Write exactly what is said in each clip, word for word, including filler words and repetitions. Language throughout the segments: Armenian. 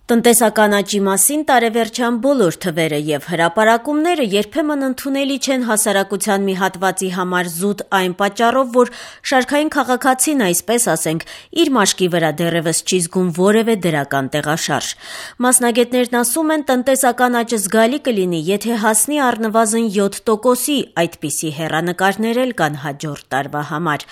Տնտեսական աճի մասին տարեվերջան բոլոր թվերը եւ հրապարակումները երբեմն ընդունելի չեն հասարակության մի հատվածի համար զուտ այն պատճառով, որ շարքային քաղաքացին, այսպես ասենք, իր մաշկի վրա դեռևս չի զգում որևէ դրական տեղաշարժ։ Մասնագետներն ասում են, տնտեսական աճը զգալի կլինի, եթե հասնի առնվազն յոթ տոկոսի, այդպիսի հեռանկարներ էլ կան հաջորդ տարվա համար։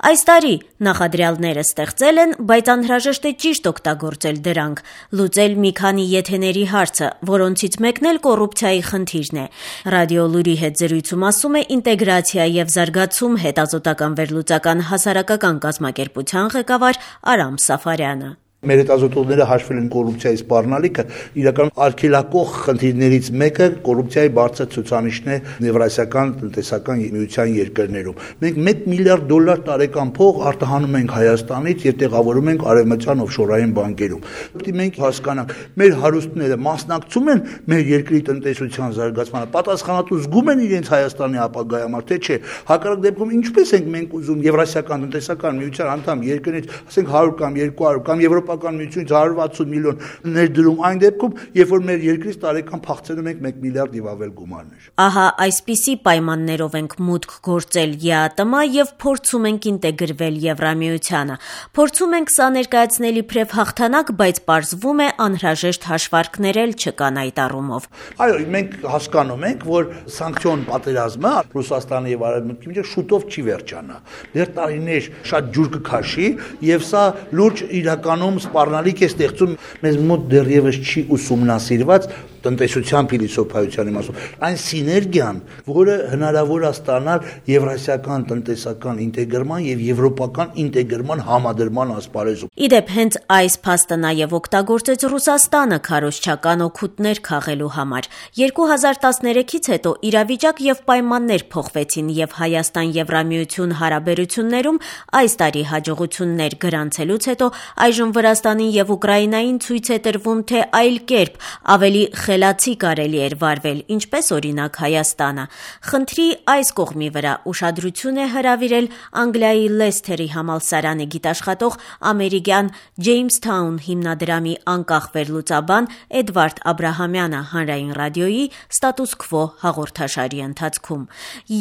Այս տարի նախադրյալները ստեղծել են, բայց անհրաժեշտ է ճիշտ օգտագործել դրանք, լուծել մի քանի եթեների հարցը, որոնցից մեկն էլ կոռուպցիայի խնդիրն է։ Ռադիո Լուրի հետ զրույցում ասում է ինտեգրացիա եւ զարգացում հետազոտական վերլուծական հասարակական կազմակերպության ղեկավար Արամ Սաֆարյանը։ Մեր հետազոտողները հաշվել են կոռուպցիայի սպառնալիքը, իրական արգելակող խնդիրներից մեկը կոռուպցիայի բարձր ցուցանիշն է Եվրասիական տնտեսական միության երկրներում։ Մենք մեկ միլիարդ դոլար տարեկան փող արտահանում ենք Հայաստանից եւ տեղավորում ենք արևմտյան օֆշորային բանկերում։ Պետք է մենք հասկանանք, մեր հարուստները մասնակցում են մեր երկրի տնտեսության զարգացմանը, պատասխանատու զգում են իրենց Հայաստանի ապագայի համար, թե չէ։ Հակառակ դեպքում ինչպես ենք մենք ուզում Եվրասիական տնտեսական միության անդամ երկրներից, ասենք հարյուր կամ երկու հարյուր կամ Եվրոպական միությունից հարյուր վաթսուն միլիոն ներդրում այն դեպքում, երբ որ մեր երկրից տարեկան փախցնում ենք մեկ միլիարդ եւ ավել գումարներ։ Ահա այսպիսի պայմաններով ենք մուտք գործել ԵԱՏՄ եւ փորձում ենք ինտեգրվել Եվրամիությանը։ Փորձում ենք սա ներկայացնել իբրև հաղթանակ, բայց պարզվում է անհրաժեշտ հաշվարկներ էլ չկան այդ առումով։ Այո, մենք հասկանում ենք, որ սանկցիոն պատերազմը Ռուսաստանի եւ Արևմուտքի միջեւ շուտով չի վերջանա։ Դեռ տարիներ շատ ջուր կքաշի եւ սա լուրջ իրականում սպառնալիք է ստեղծում մեզ մոտ դեռևս չի ուսումնասիրված տնտեսության փիլիսոփայության իմաստով այն սիներգիան, որը հնարավոր է ստանալ եվրասիական տնտեսական ինտեգրման եւ եվրոպական ինտեգրման համադրման ասպարեզում։ Իդեպ հենց այս փաստը նաեւ օգտագործեց Ռուսաստանը քարոզչական օգուտներ քաղելու համար։ երկու հազար տասներեքից հետո իրավիճակ եւ պայմաններ փոխվեցին եւ Հայաստան-Եվրամիություն հարաբերություններում այս տարի հաջողություններ գրանցելուց հետո այժմ Վրաստանին եւ Ուկրաինային ցույց է տրվում, թե այլ կերպ ավելի խելացի կարելի էր վարվել, ինչպես օրինակ Հայաստանը։ Խնդրի այս կողմի վրա ուշադրություն է հրավիրել Անգլիայի Լեսթերի համալսարանի գիտաշխատող ամերիկյան Ջեյմսթաուն հիմնադրամի անկախ վերլուծաբան Էդվարդ Աբրահամյանը հանրային ռադիոյի Ստատուս քվո հաղորդաշարի ընթացքում։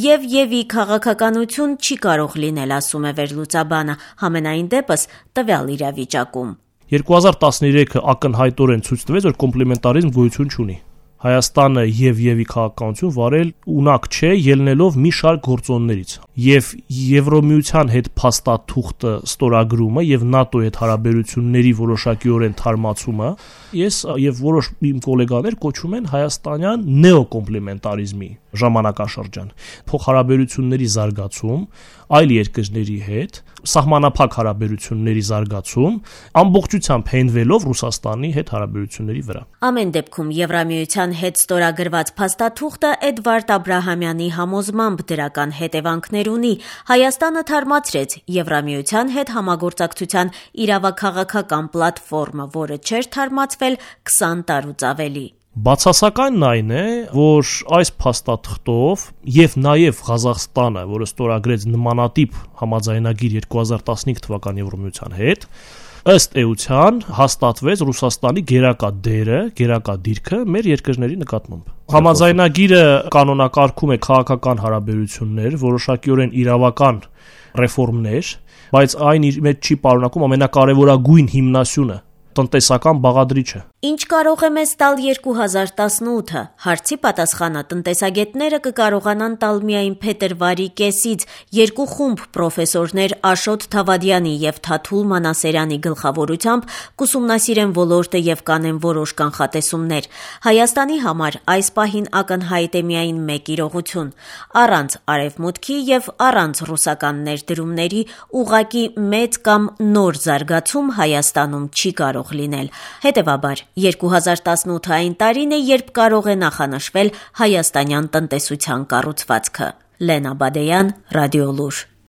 Եվ եւի քաղաքականություն չի կարող լինել, ասում է վերլուծաբանը, համենայն դեպս տվյալ իրավիճակում։ երկու հազար տասներեքը ակնհայտորեն ցույց տվեց, որ կոմպլեմենտարիզմ գոյություն չունի։ Հայաստանը եւ եւի քաղաքականություն վարել ունակ չէ, ելնելով մի շարք գործոններից։ Եվ Եվրոմիության հետ փաստաթուղթը ստորագրումը եւ ՆԱՏՕ-ի հետ հարաբերությունների որոշակիորեն թարմացումը ես եւ որոշ իմ գոլեգաներ կոչում են հայաստանյան նեոկոմպլեմենտարիզմի ժամանակաշրջան։ Փոխհարաբերությունների զարգացում այլ երկրների հետ, սահմանափակ հարաբերությունների զարգացում, ամբողջությամբ հենվելով Ռուսաստանի հետ հարաբերությունների վրա։ Ամեն դեպքում Եվրամիության հետ ստորագրված փաստաթուղթը Էդվարդ Աբրահամյանի համոզմամբ դրական հետևանքներ ունի։ Հայաստանը թարմացրեց Եվրամիության հետ համագործակցության իրավաքաղաքական պլատֆորմը, որը չէր թարմացվել քսան տարուց ավելի։ Բացասականն այն է, որ այս փաստաթղթով եւ նաեւ Ղազախստանը, որը ստորագրեց նմանատիպ համաձայնագիր երկու հազար տասնհինգ թվականի Եվրոմիության հետ, ըստ էության հաստատվեց Ռուսաստանի գերակա դերը, գերակա դիրքը մեր երկրների նկատմամբ։ Համաձայնագիրը կանոնակարգում է քաղաքական հարաբերություններ, որոշակիորեն իրավական ռեֆորմներ, բայց այն իր մեջ չի պարունակում ամենակարևորագույն հիմնասյունը՝ տնտեսական բաղադրիչը։ Ինչ կարող է մեզ տալ երկու հազար տասնութը, հարցի պատասխանը տնտեսագետները կկարողանան տալ միայն փետրվարի կեսից երկու խումբ պրոֆեսորներ Աշոտ Թավադյանի եւ Թաթուլ Մանասերյանի գլխավորությամբ կուսումնասիրեն ոլորտը եւ կանեն որոշ կանխատեսումներ։ Հայաստանի համար այս պահին ակնհայտ է միայն մեկ իրողություն՝ առանց Արևմուտքի եւ առանց ռուսական ներդրումների ուղղակի մեծ կամ նոր զարգացում Հայաստանում չի կարող լինել։ Հետևաբար երկու հազար տասնութը այն տարին է, երբ կարող է նախանշվել հայաստանյան տնտեսության կառուցվածքը։ Լենա Բադեյան, Ռադիո Լուր։